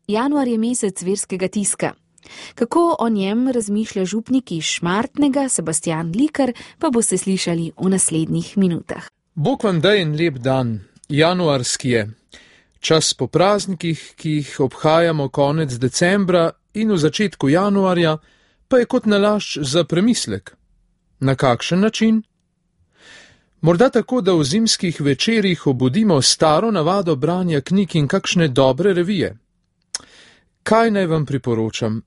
Januar je mesec verskega tiska. Kako o njem razmišlja župnik iz Šmartnega, Sebastijan Likar, pa boste slišali v naslednjih minutah. Bog vam daj en lep dan, januarski je. Čas po praznikih, ki jih obhajamo konec decembra in v začetku januarja, pa je kot nalašč za premislek. Na kakšen način? Morda tako, da v zimskih večerih obudimo staro navado branja knjig in kakšne dobre revije. Kaj naj vam priporočam?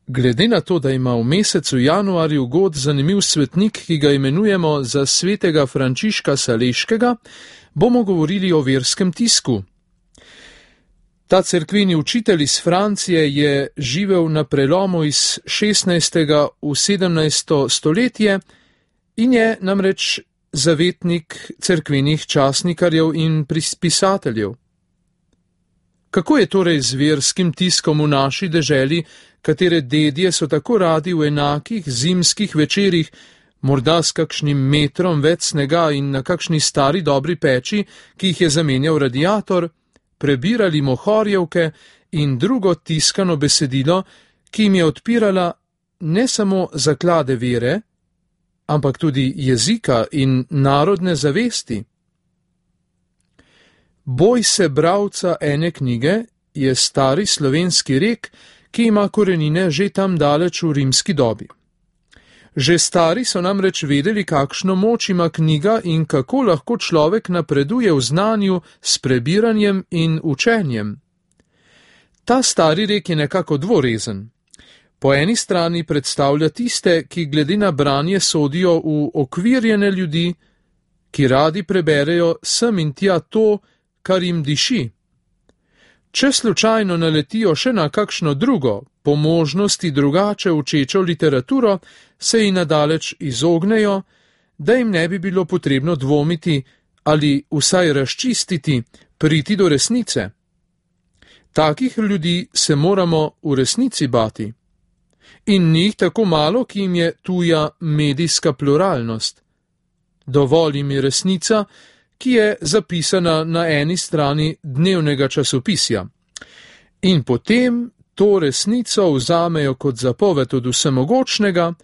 Glede na to, da ima v mesecu januarju god zanimiv svetnik, ki ga imenujemo za svetega Frančiška Saleškega, bomo govorili o verskem tisku. Ta cerkveni učitelj iz Francije je živel na prelomu iz 16. v 17. stoletje in je namreč zavetnik cerkvenih časnikarjev in pisateljev. Kako je torej z verskim tiskom v naši deželi, katere dedje so tako radi v enakih zimskih večerih, morda s kakšnim metrom več snega in na kakšni stari dobri peči, ki jih je zamenjal radiator, prebirali mohorjevke in drugo tiskano besedilo, ki jim je odpirala ne samo zaklade vere, ampak tudi jezika in narodne zavesti. Boj se bralca ene knjige je stari slovenski rek, ki ima korenine že tam daleč v rimski dobi. Že stari so namreč vedeli, kakšno moč ima knjiga in kako lahko človek napreduje v znanju s prebiranjem in učenjem. Ta stari rek je nekako dvorezen. Po eni strani predstavlja tiste, ki glede na branje sodijo v okvirjene ljudi, ki radi preberejo sem in tja to, kar jim diši. Če slučajno naletijo še na kakšno drugo, po možnosti drugače učečo literaturo, se ji nadaleč izognejo, da jim ne bi bilo potrebno dvomiti ali vsaj razčistiti, priti do resnice. Takih ljudi se moramo v resnici bati. In njih tako malo, ki jim je tuja medijska pluralnost. Dovolj jim je resnica, ki je zapisana na eni strani dnevnega časopisja. In potem to resnico vzamejo kot zapoved od vsemogočnega,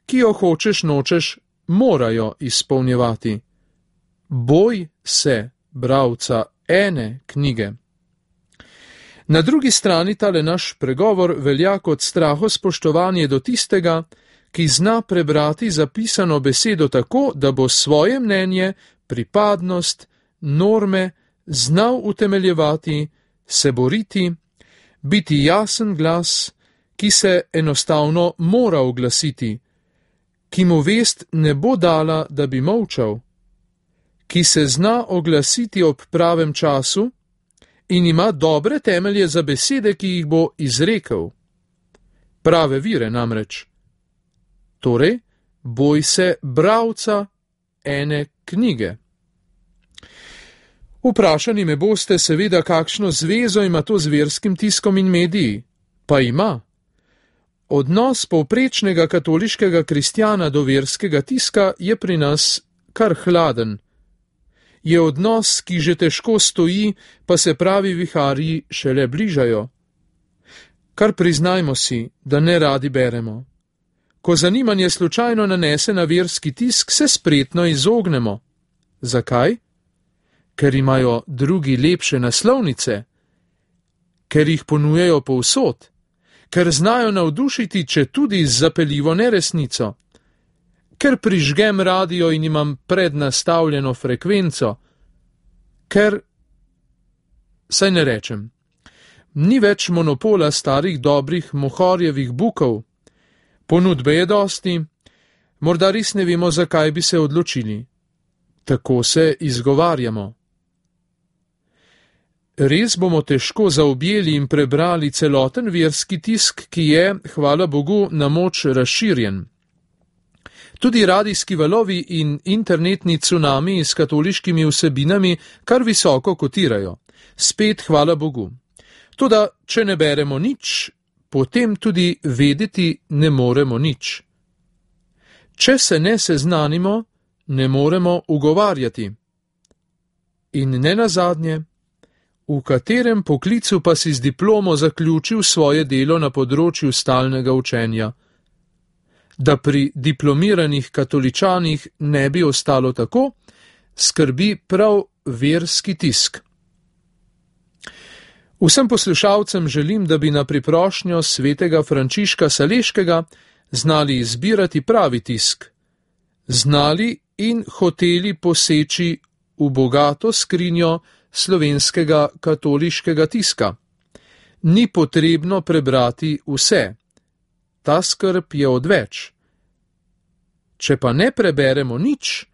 ki jo hočeš nočeš morajo izpolnjevati. Boj se bralca ene knjige. Na drugi strani tale naš pregovor velja kot strahospoštovanje do tistega, ki zna prebrati zapisano besedo tako, da bo svoje mnenje, pripadnost, norme znal utemeljevati, se boriti, biti jasen glas, ki se enostavno mora oglasiti, ki mu vest ne bo dala, da bi molčal, ki se zna oglasiti ob pravem času in ima dobre temelje za besede, ki jih bo izrekel. Prave vire namreč. Torej, boj se bralca ene knjige. Vprašani me boste seveda, kakšno zvezo ima to z verskim tiskom in mediji. Pa ima. Odnos povprečnega katoliškega kristjana do verskega tiska je pri nas kar hladen. Je odnos, ki že težko stoji, pa se pravi viharji šele bližajo. Kar priznajmo si, da ne radi beremo. Ko zanimanje slučajno nanese na verski tisk, se spretno izognemo. Zakaj? Ker imajo drugi lepše naslovnice, ker jih ponujajo povsod, ker znajo navdušiti, če tudi z zapeljivo neresnico, ker prižgem radio in imam prednastavljeno frekvenco, ker, saj ne rečem, ni več monopola starih dobrih mohorjevih bukov, ponudbe je dosti, morda res ne vemo, zakaj bi se odločili. Tako se izgovarjamo. Res bomo težko zaobjeli in prebrali celoten verski tisk, ki je, hvala Bogu, na moč razširjen. Tudi radijski valovi in internetni cunami s katoliškimi vsebinami kar visoko kotirajo. Spet hvala Bogu. Toda, če ne beremo nič, potem tudi vedeti ne moremo nič. Če se ne seznanimo, ne moremo ugovarjati. In nenazadnje, v katerem poklicu pa si z diplomo zaključil svoje delo na področju stalnega učenja. Da pri diplomiranih katoličanih ne bi ostalo tako, skrbi prav verski tisk. Vsem poslušalcem želim, da bi na priprošnjo svetega Frančiška Saleškega znali izbirati pravi tisk, znali in hoteli poseči v bogato skrinjo slovenskega katoliškega tiska. Ni potrebno prebrati vse. Ta skrb je odveč. Če pa ne preberemo nič,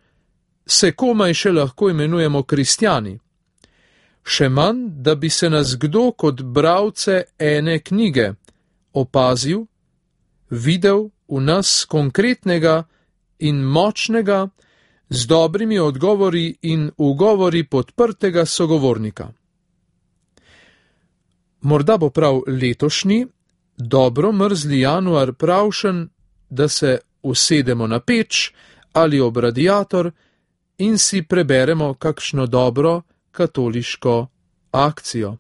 se komaj še lahko imenujemo kristjani. Še manj, da bi se nas kdo kot bralce ene knjige opazil, videl v nas konkretnega in močnega, z dobrimi odgovori in ugovori podprtega sogovornika. Morda bo prav letošnji, dobro mrzli januar pravšen, da se usedemo na peč ali ob radiator in si preberemo kakšno dobro katoliško akcijo.